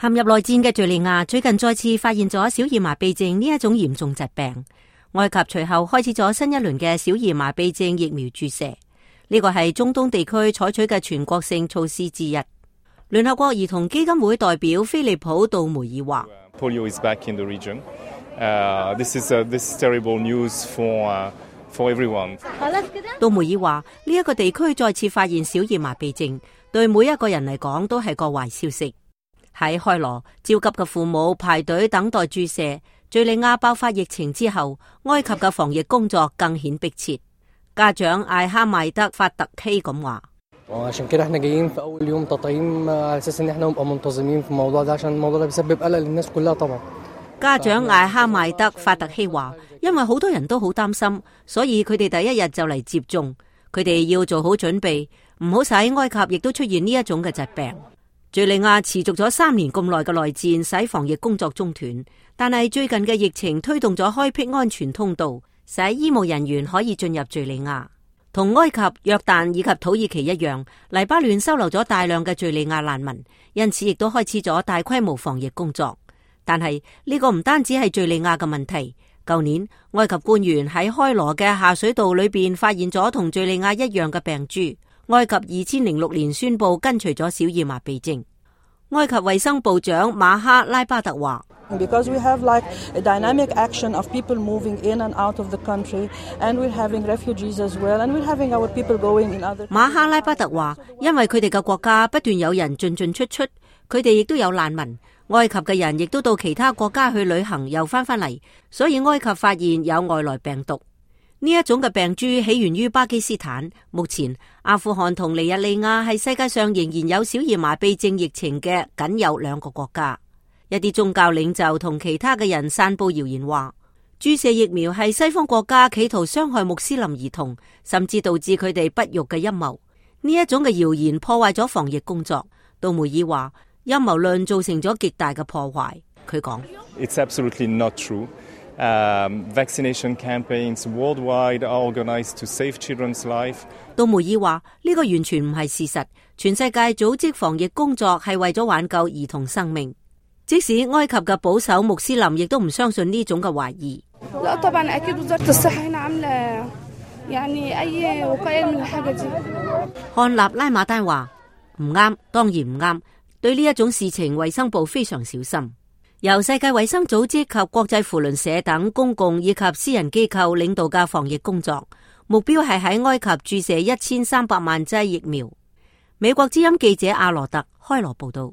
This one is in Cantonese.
陷入內戰嘅敘利亞最近再次發現咗小兒麻痹症呢一種嚴重疾病。埃及隨後開始咗新一輪嘅小兒麻痹症疫苗注射，呢個係中東地區採取嘅全國性措施之一。聯合國兒童基金會代表菲利普·杜梅爾話：Polio is back in the region. This is terrible news for everyone. 杜梅爾話：呢一個地區再次發現小兒麻痹症，對每一個人嚟講都係個壞消息。喺開羅，焦急嘅父母排隊等待注射。敘利亞爆發疫情之後，埃及嘅防疫工作更顯迫切。家長艾哈邁德法特希咁話：家長艾哈邁德法特希話，因為好多人都好擔心，所以佢哋第一日就嚟接種。佢哋要做好準備，唔好使埃及亦都出現呢一種嘅疾病。敘利亞持續咗3年咁耐嘅內戰，使防疫工作中斷。但係最近嘅疫情推動咗開闢安全通道，使醫務人員可以進入敘利亞。同埃及、約旦以及土耳其一樣，黎巴嫩收留咗大量嘅敘利亞難民，因此亦都開始咗大規模防疫工作。但係呢個唔單止係敘利亞嘅問題。舊年埃及官員喺開羅嘅下水道裏邊發現咗同敘利亞一樣嘅病株。埃及2006年宣布根除咗小兒麻痹症。埃及衛生部長馬哈拉巴特話：Because we have like a dynamic action of people moving in and out of the country, and we're having refugees as well, and we're having our people going in other. 馬哈拉巴特話：因為佢哋嘅國家不斷有人進進出出，佢哋亦都有難民。埃及嘅人亦都到其他國家去旅行，又翻嚟，所以埃及發現有外來病毒。呢一種嘅病株起源於巴基斯坦。目前阿富汗同尼日利亞係世界上仍然有小兒麻痹症疫情嘅僅有2個國家。一啲宗教領袖同其他嘅人散布謠言話，注射疫苗係西方國家企圖傷害穆斯林兒童，甚至導致佢哋不育嘅陰謀。呢一種嘅謠言破壞咗防疫工作。杜梅爾話，陰謀論造成咗極大嘅破壞。佢講：It's absolutely not true. Vaccination campaigns worldwide are organized to save children's life. 杜梅爾話：呢個完全唔係事實，全世界組織防疫工作係為咗挽救兒童生命。即使埃及嘅保守穆斯林亦都唔相信呢種嘅懷疑。漢納拉馬丹話：唔啱，當然唔啱。對呢一種事情，衛生部非常小心。由世界衛生組織及國際扶輪社等公共以及私人機構領導嘅防疫工作，目標係喺埃及注射1300萬劑疫苗。美國之音記者阿羅特開羅報道。